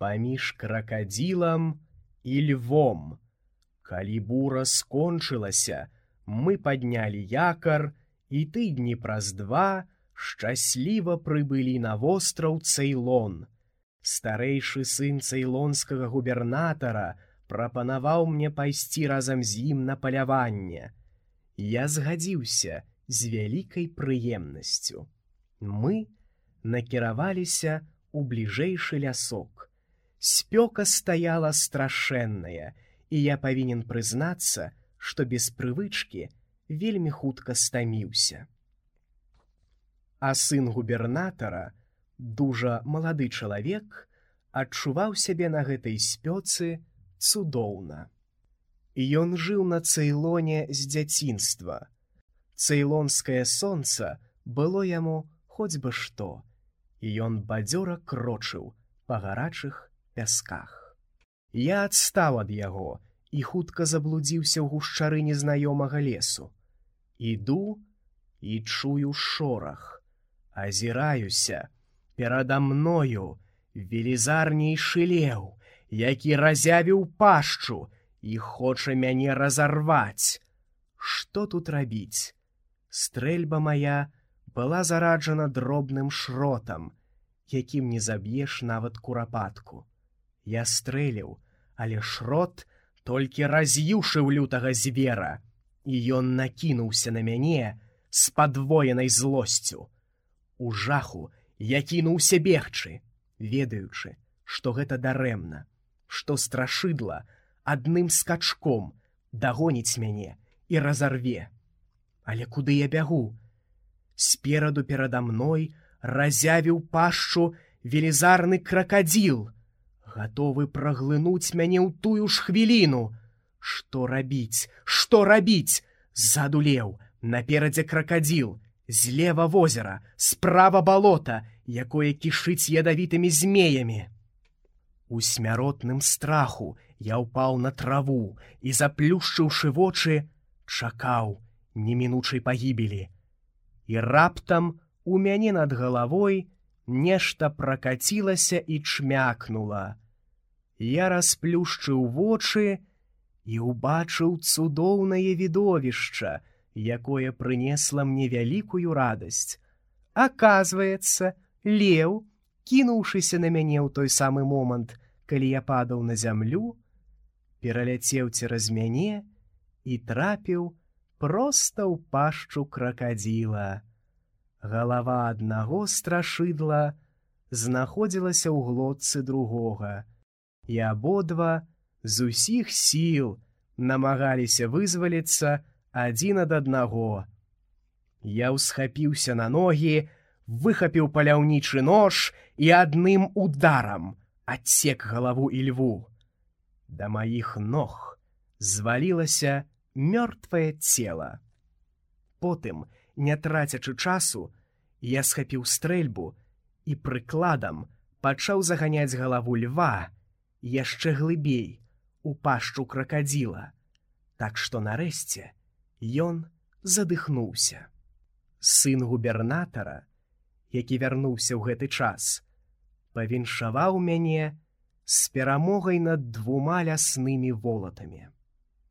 паміж кракадзілам і львом. Калі бура скончылася, мы паднялі якар, і тыдні праз 2 шчасліва прыбылі на востраў Цейлон. Старэйшы сын цейлонскага губернатара прапанаваў мне пайсці разам з ім на паляванне. Я згадзіўся з вялікай прыемнасцю. Мы накіраваліся ў бліжэйшы лясок. Спёка стаяла страшэнная, і я павінен прызнацца, што без прывычкі вельмі хутка стаміўся. А сын губернатара, дужа малады чалавек, адчуваў сябе на гэтай спёцы цудоўна. Ён жыў на Цейлоне з дзяцінства. Цейлонскае сонца было яму хоць бы што, і ён бадзёра крочыў па гарачых пясках. Я адстаў ад яго і хутка заблудзіўся ў гушчары незнаёмага лесу. Іду і чую шорах. Азіраюся. Перада мною велізарнейшы леў, які разявіў пашчу і хоча мяне разарваць. Што тут рабіць? Стрэльба моя была зараджана дробным шротам, якім не заб'еш нават курапатку. Я стрэліў, але шрот толькі раз'юшыў лютага звера, і ён накінуўся на мяне з падвоенай злосцю. У жаху я кінуўся бегчы, ведаючы, што гэта дарэмна, што страшыдла адным скачком дагоніць мяне і разарве. Але куды я бягу? Спераду перада мной разявіў пашчу велізарны кракадзіл, гатовы праглынуць мяне ў тую ж хвіліну. Што рабіць? Што рабіць? Ззаду леў, наперадзе кракадзіл, злева возера, справа балота, якое кішыць ядавітымі змеямі. У смяротным страху я ўпаў на траву і, заплюшчыўшы вочы, чакаў немінучай пагібелі. І раптам у мяне над галавой нешта пракацілася і чмякнула. Я расплюшчыў вочы і ўбачыў цудоўнае відовішча, якое прынесла мне вялікую радасць. Аказваецца, леў, кінуўшыся на мяне ў той самы момант, калі я падаў на зямлю, пераляцеў цераз мяне і трапіў проста ў пашчу кракадзіла. Галава аднаго страшыдла знаходзілася ў глотцы другога, і абодва з усіх сіл намагаліся вызваліцца адзін ад аднаго. Я ўсхапіўся на ногі, выхапіў паляўнічы нож і адным ударам адсек галаву ільву. Да маіх ног звалілася мёртвае цела. Потым, не трацячы часу, я схапіў стрэльбу і прыкладам пачаў заганяць галаву льва яшчэ глыбей у пашчу кракадзіла, так што нарэшце ён задыхнуўся. Сын губернатара, які вярнуўся ў гэты час, павіншаваў мяне з перамогай над 2 ляснымі волатамі.